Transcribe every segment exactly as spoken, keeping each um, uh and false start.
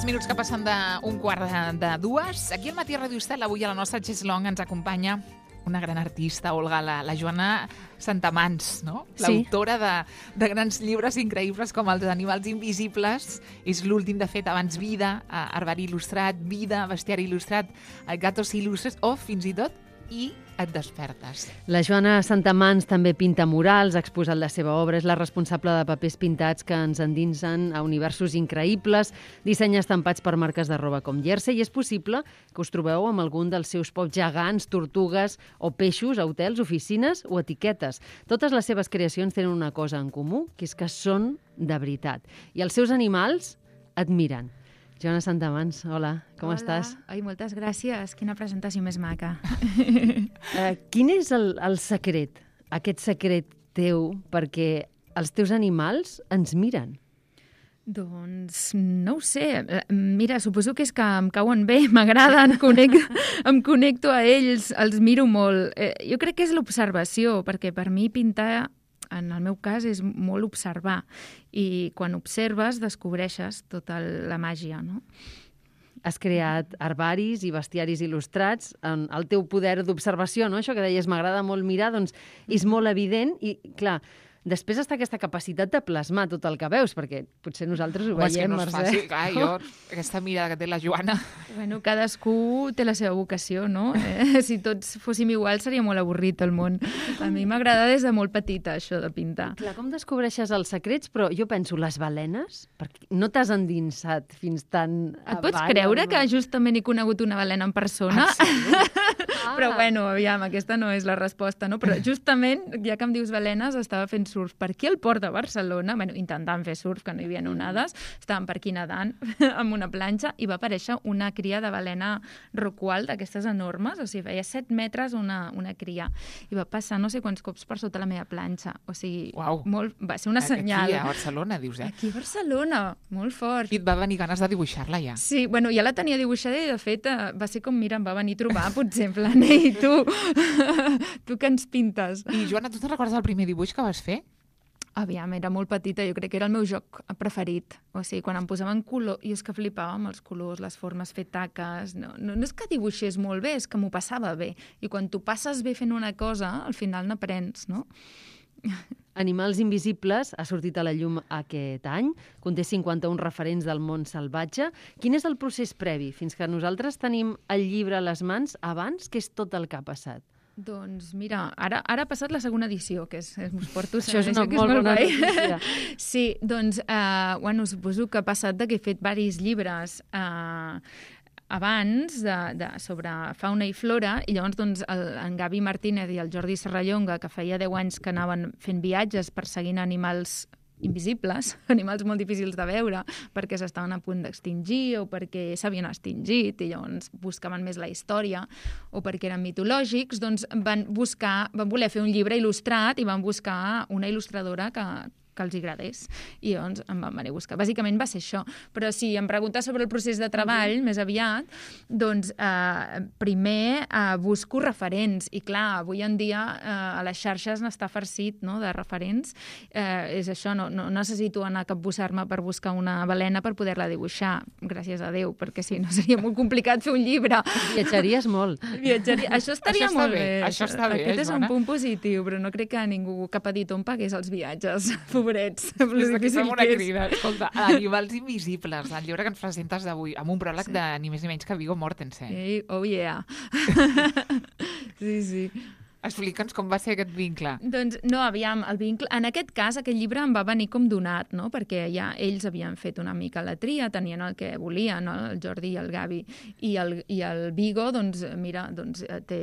Tres minuts que passen d'un quart de, de dues. Aquí al Matí a Ràdio Estel, avui a la nostra Cheslong ens acompanya una gran artista, Olga, la, la Joana Santamans, no? L'autora de, de grans llibres increïbles com Els animals invisibles. És l'últim, de fet, abans Vida, Herbari il·lustrat, Vida, Bestiari il·lustrat, Gatos il·lustres, o fins i tot I et despertes. La Joana Santamans també pinta murals, ha exposat la seva obra, és la responsable de papers pintats que ens endinsen a universos increïbles, dissenya estampats per marques de roba com Jersey, i és possible que us trobeu amb algun dels seus pocs gegants, tortugues o peixos a hotels, oficines o etiquetes. Totes les seves creacions tenen una cosa en comú, que és que són de veritat. I els seus animals et miren. Joana Santamans, hola, com hola. estàs? Ai, moltes gràcies, quina presentació més maca. uh, quin és el, el secret, aquest secret teu, perquè els teus animals ens miren? Doncs no ho sé. Mira, suposo que és que em cauen bé, m'agraden, connecto, em connecto a ells, els miro molt. Eh, jo crec que és l'observació, perquè per mi pintar, en el meu cas, és molt observar. I quan observes, descobreixes tota la màgia, no? Has creat herbaris i bestiaris il·lustrats. El teu poder d'observació, no? Això que deies, m'agrada molt mirar, doncs és molt evident i, clar, després està aquesta capacitat de plasmar tot el que veus, perquè potser nosaltres ho Home, veiem, no Mercè. Fàcil, clar, jo, aquesta mirada que té la Joana... Bueno, cadascú té la seva vocació, no? Eh? Si tots fóssim iguals seria molt avorrit el món. A mi m'agrada des de molt petita, això de pintar. Clar, com descobreixes els secrets? Però jo penso, les balenes? Perquè no t'has endinsat fins tan... Et pots creure que justament he conegut una balena en persona? Ah. Però, bueno, aviam, aquesta no és la resposta, no? Però justament, ja que em dius balenes, estava fent surf per aquí al port de Barcelona, bueno, intentant fer surf, que no hi havia onades, estàvem per aquí nedant amb una planxa i va aparèixer una cria de balena rocual d'aquestes enormes, o sigui, feia set metres una, una cria. I va passar no sé quants cops per sota la meva planxa. O sigui, Uau. molt, va ser una senyal. Aquí a Barcelona, dius, eh? Aquí a Barcelona, molt fort. I et va venir ganes de dibuixar-la, ja. Sí, bueno, ja la tenia dibuixada i, de fet, va ser com, mira, em va venir a trobar, potser, en plan, ei, tu, tu que ens pintes. I, Joana, tu te'n recordes del primer dibuix que vas fer? Aviam, era molt petita, jo crec que era el meu joc preferit. O sigui, quan em posaven color, i és que flipava amb els colors, les formes, fer taques. No, no, no és que dibuixés molt bé, és que m'ho passava bé. I quan tu passes bé fent una cosa, al final n'aprens, no? Animals invisibles ha sortit a la llum aquest any, conté cinquanta-un referents del món salvatge. Quin és el procés previ fins que nosaltres tenim el llibre a les mans abans, que és tot el que ha passat? Doncs mira, ara, ara ha passat la segona edició, que és, us porto... Això és una que és molt, molt bona guai. notícia. Sí, doncs, eh, bueno, suposo que ha passat de que he fet diversos llibres eh, abans de, de, sobre fauna i flora, i llavors doncs, el, en Gavi Martínez i el Jordi Serrallonga, que feia deu anys que anaven fent viatges perseguint animals invisibles, animals molt difícils de veure, perquè s'estaven a punt d'extingir o perquè s'havien extingit i llavors buscaven més la història o perquè eren mitològics, doncs van buscar, van voler fer un llibre il·lustrat i van buscar una il·lustradora que que els agradés. I llavors em van venir a buscar. Bàsicament va ser això. Però si em preguntes sobre el procés de treball, mm-hmm. més aviat, doncs eh, primer eh, busco referents. I clar, avui en dia eh, a les xarxes n'està farcit, no?, de referents. Eh, és això, no, no necessito anar a capbussar-me per buscar una balena per poder-la dibuixar, gràcies a Déu, perquè si no seria molt complicat fer un llibre. Viatjaries molt. Viatjaria. Això estaria això molt bé. bé. Això està bé, Aquest és un Joana. punt positiu, però no crec que ningú, cap editor em pagués els viatges. Pobrets. Des d'aquí fem una crida. Escolta, Animals invisibles, el llibre que ens presentes d'avui, amb un pròleg sí. de ni més ni menys que Viggo Mortensen. Hey, oh yeah. Sí, sí. Explica'ns com va ser aquest vincle. Doncs no, aviam, el vincle... En aquest cas, aquest llibre em va venir com donat, no?, perquè ja ells havien fet una mica la tria, tenien el que volien, no?, el Jordi i el Gavi. I el, i el Viggo, doncs, mira, doncs, té,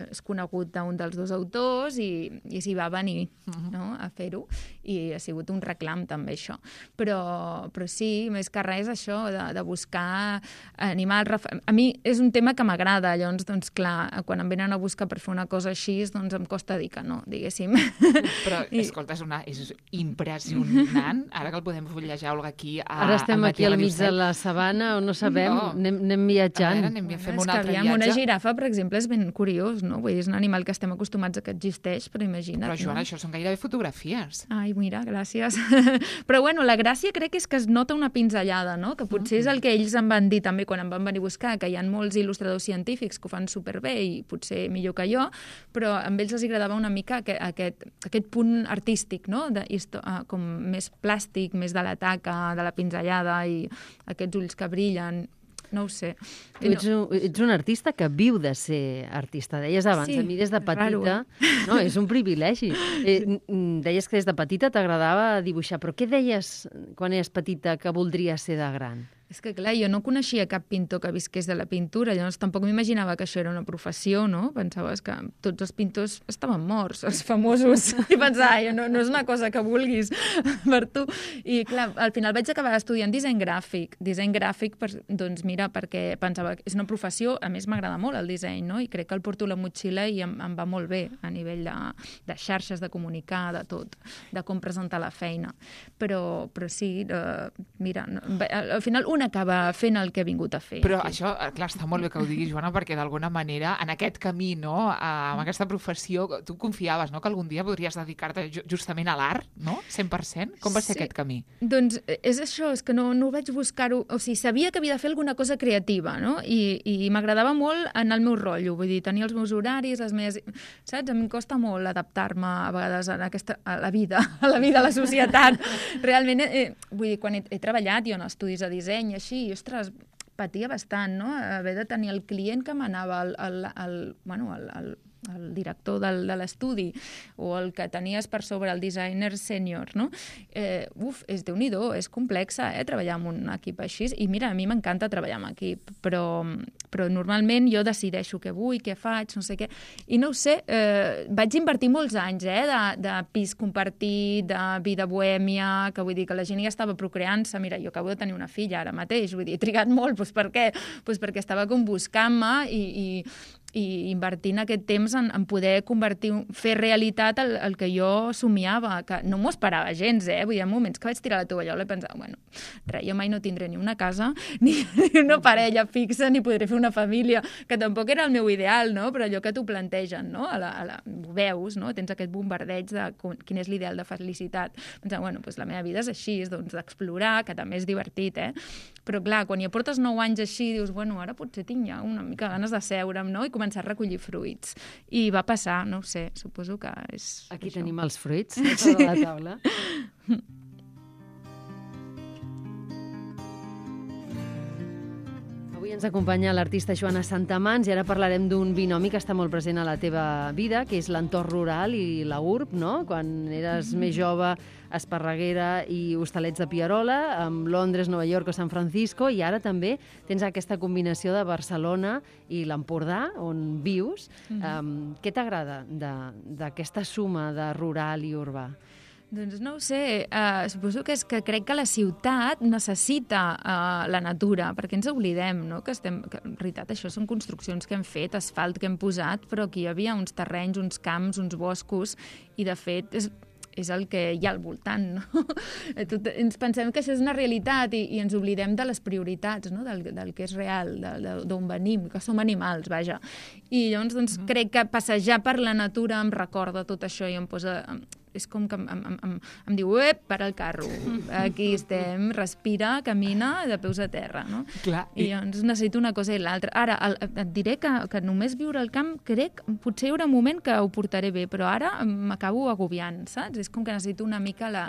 és conegut d'un dels dos autors i, i s'hi va venir, uh-huh. no?, a fer-ho. I ha sigut un reclam, també, això. Però, però sí, més que res, això, de, de buscar animals... A mi és un tema que m'agrada, llavors, doncs, clar, quan em venen a buscar per fer una cosa així, així, doncs em costa dir que no, diguéssim. Però, I... escolta, és, una, és impressionant. Ara que el podem fullejar, Olga, aquí a, Ara estem aquí al mig de Cel. la sabana, on no sabem, no. Anem, anem viatjant. A veure, anem, fem bueno, un altre aviam, viatge. Una girafa, per exemple, és ben curiós, no? Vull dir, és un animal que estem acostumats a que existeix, però imagina't. Però, Joana, no? això són gairebé fotografies. Ai, mira, gràcies. Però, bueno, la gràcia crec que és que es nota una pinzellada, no? Que potser és el que ells em van dir també quan em van venir a buscar, que hi ha molts il·lustradors científics que ho fan superbé i potser millor que jo, però a ells els agradava una mica aquest, aquest, aquest punt artístic, no? De, com més plàstic, més de la taca, de la pinzellada i aquests ulls que brillen. No ho sé. Tu ets un, ets un artista que viu de ser artista. Deies abans, sí, a mi des de petita... raro, eh? No, és un privilegi. Eh, deies que des de petita t'agradava dibuixar, però què deies quan eres petita que voldries ser de gran? És que, clar, jo no coneixia cap pintor que visqués de la pintura, llavors tampoc m'imaginava que això era una professió, no? Pensaves que tots els pintors estaven morts, els famosos, i pensava, no, no és una cosa que vulguis per tu. I, clar, al final vaig acabar estudiant disseny gràfic. Disseny gràfic, per, doncs mira, perquè pensava que és una professió, a més m'agrada molt el disseny, no? I crec que el porto a la motxilla i em, em va molt bé a nivell de, de xarxes, de comunicar, de tot, de com presentar la feina. Però, però sí, uh, mira, no, al final una acaba fent el que ha vingut a fer. Però sí. això, clar, està molt bé que ho diguis, Joana, perquè d'alguna manera, en aquest camí, no?, amb aquesta professió, tu confiaves, no?, que algun dia podries dedicar-te justament a l'art, no?, cent per cent? Com va ser sí. aquest camí? Doncs és això, és que no, no vaig buscar-ho... O sigui, sabia que havia de fer alguna cosa creativa, no?, i, i m'agradava molt en el meu rotllo, vull dir, tenir els meus horaris, les meves... Saps? A mi em costa molt adaptar-me a vegades a, aquesta, a la vida, a la vida, a la societat. Realment, eh, vull dir, quan he, he treballat jo en estudis de disseny, així, i, ostres, patia bastant, no?, haver de tenir el client que m'anava el, el, el, bueno, el, el, el director del, de l'estudi o el que tenies per sobre el designer sènior, no? Eh, uf, és Déu-n'hi-do, és complexa, eh, treballar amb un equip així. I mira, a mi m'encanta treballar amb equip, però, però normalment jo decideixo què vull, què faig, no sé què. I no ho sé, eh, vaig invertir molts anys, eh, de, de pis compartit, de vida bohèmia, que vull dir que la gent ja estava procreant-se. Mira, jo acabo de tenir una filla ara mateix, vull dir, he trigat molt, doncs per què? Doncs perquè estava com buscant-me i, i i invertint aquest temps en, en poder convertir, fer realitat el, el que jo somiava, que no m'ho esperava gens, eh? Vull dir, en moments que vaig tirar la tovallola i pensar, bueno, res, jo mai no tindré ni una casa, ni, ni una parella fixa, ni podré fer una família, que tampoc era el meu ideal, no? Però allò que t'ho plantegen, no? A la, a la, ho veus, no? Tens aquest bombardeig de quin és l'ideal de felicitat. Pensant, bueno, doncs la meva vida és així, és doncs d'explorar, que també és divertit, eh? Però clar, quan ja portes nou anys així, dius, bueno, ara potser tinc ja una mica ganes de seure'm, no?, i començar a recollir fruits. I va passar, no ho sé, suposo que és... Aquí això. tenim els fruits sobre la taula. Avui ens acompanya l'artista Joana Santamans i ara parlarem d'un binomi que està molt present a la teva vida, que és l'entorn rural i la urb, no? Quan eres mm-hmm. més jove, Esparreguera i Hostalets de Pierola, amb Londres, Nova York o San Francisco, i ara també tens aquesta combinació de Barcelona i l'Empordà, on vius. Mm-hmm. Um, què t'agrada d'aquesta suma de rural i urbà? Doncs no ho sé, uh, suposo que és que crec que la ciutat necessita uh, la natura, perquè ens oblidem, no?, que estem... Que, en realitat, això són construccions que hem fet, asfalt que hem posat, però aquí hi havia uns terrenys, uns camps, uns boscos, i de fet és, és el que hi ha al voltant, no? Tot, ens pensem que això és una realitat i, i ens oblidem de les prioritats, no?, del, del que és real, d'on venim, que som animals, vaja. I llavors, doncs, mm. crec que passejar per la natura em recorda tot això i em posa... És com que em, em, em, em diu, ep, para el carro, aquí estem, respira, camina, de peus a terra, no? Clar, i... I llavors necessito una cosa i l'altra. Ara, el, et diré que, que només viure al camp, crec, potser hi haurà un moment que ho portaré bé, però ara m'acabo agobiant, saps? És com que necessito una mica la,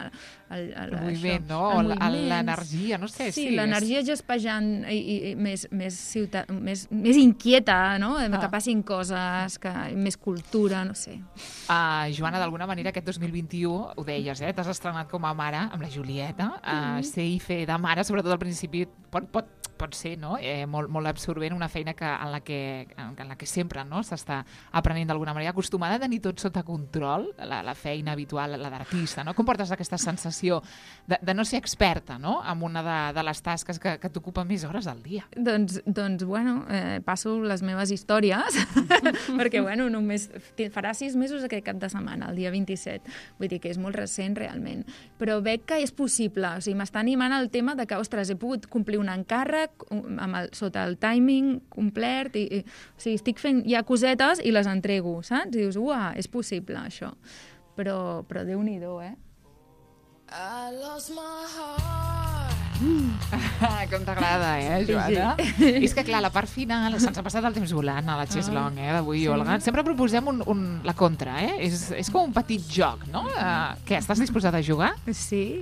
el, el, el moviment, això, no? El l'energia, no sé. Sí, sí l'energia és... gespejant i, i, i més, més, ciutat, més, més inquieta, no? Ah. Que passin coses, que, més cultura, no sé. Uh, Joana, d'alguna manera, aquest dos mil vint-i-u, ho deies, eh? T'has estrenat com a mare amb la Julieta, uh, ser i fer de mare, sobretot al principi pot, pot, pot ser, no? eh, molt, molt absorbent, una feina que, en, la que, en la que sempre, no? s'està aprenent d'alguna manera, acostumada a tenir tot sota control, la, la feina habitual, la d'artista, no? Com portes aquesta sensació de, de no ser experta, no?, en una de, de les tasques que, que t'ocupa més hores al dia? Doncs, doncs bueno, eh, passo les meves històries, perquè, bueno, només farà sis mesos aquest cap de setmana, el dia vint-i-set, vull dir que és molt recent realment, però veig que és possible, o sigui, m'està animant el tema de que, ostres, he pogut complir un encàrrec amb el, sota el timing complet, i, i, o sigui, estic fent ja cosetes i les entrego, saps? I dius, uah, és possible, això. Però, però Déu-n'hi-do, eh? I lost my heart. Mm. Com t'agrada, eh, Joana? Sí. És que, clar, la part final, se'ns ha passat el temps volant a la Cheslong, eh, d'avui, sí. Olga. Sempre proposem un, un, la contra, eh? És, és com un petit joc, no? Uh, què, estàs disposada a jugar? Sí,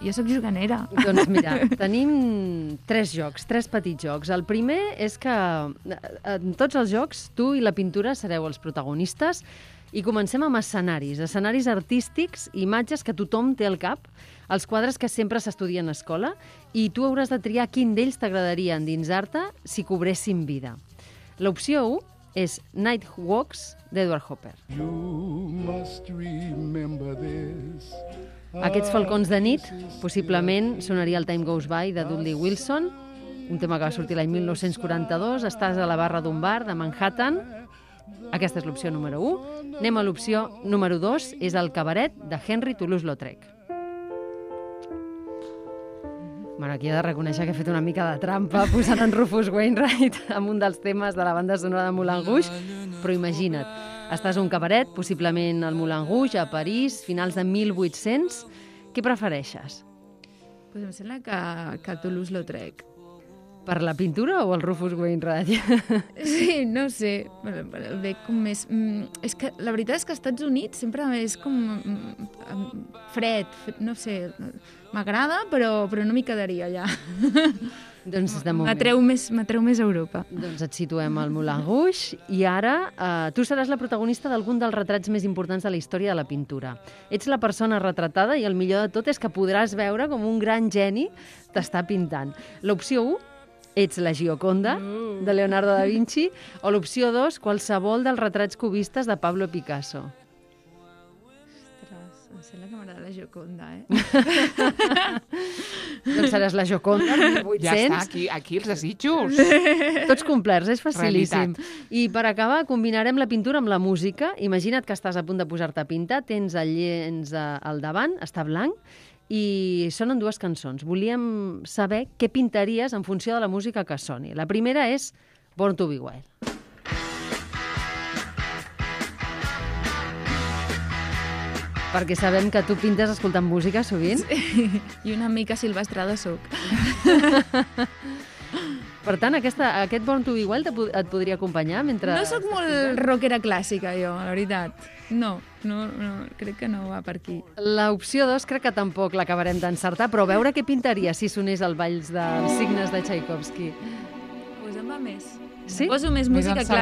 jo sóc juganera. Doncs mira, tenim tres jocs, tres petits jocs. El primer és que en tots els jocs tu i la pintura sereu els protagonistes i comencem amb escenaris, escenaris artístics, imatges que tothom té al cap, els quadres que sempre s'estudien a escola, i tu hauràs de triar quin d'ells t'agradaria endinsar-te si cobressin vida. L'opció u és Night Walks d'Edward Hopper. Aquests falcons de nit, possiblement sonaria el Time Goes By de Dudley Wilson, un tema que va sortir l'any mil nou-cents quaranta-dos, estàs a la barra d'un bar de Manhattan. Aquesta és l'opció número u. Anem a l'opció número dos, és el cabaret de Henry Toulouse-Lautrec. Bueno, aquí he de reconèixer que he fet una mica de trampa posant en Rufus Wainwright amb un dels temes de la banda sonora de Moulin Rouge, però imagina't, estàs a un cabaret, possiblement al Moulin Rouge, a París, finals de mil vuit-cents. Què prefereixes? Pues em sembla que, que Toulouse-Lautrec. Per la pintura o el Rufus Wainwright? Sí, no sé, el veig com més... És que la veritat és que als Estats Units sempre és com fred, no sé, m'agrada, però, però no m'hi quedaria allà. Doncs de moment. M'atreu més, m'atreu més a Europa. Doncs et situem al Moulin Rouge i ara eh, tu seràs la protagonista d'algun dels retrats més importants de la història de la pintura. Ets la persona retratada i el millor de tot és que podràs veure com un gran geni t'està pintant. L'opció u, ets la Gioconda, de Leonardo da Vinci, o l'opció dos, qualsevol dels retrats cubistes de Pablo Picasso. Ostres, em sembla que m'agrada la Gioconda, eh? Doncs seràs la Gioconda, mil vuit-cents. Ja està, aquí, aquí els desitjos. Tots complerts, és facilíssim. Realitat. I per acabar, combinarem la pintura amb la música. Imagina't que estàs a punt de posar-te a pintar, tens el llenç al davant, està blanc, i sonen dues cançons. Volíem saber què pintaries en funció de la música que soni. La primera és Born to be Wild. Perquè sabem que tu pintes escoltant música sovint. Sí. I una mica silvestrada soc. Per tant, aquesta, aquest Born to be Wild et podria acompanyar mentre... No sóc molt rockera clàssica, jo, la veritat. No, no, no, crec que no va per aquí. L'opció dos crec que tampoc l'acabarem d'encertar, però veure què pintaria si sonés el Valls dels Signes de Tchaikovsky. Pues em va més. Sí? Poso més música clàssica.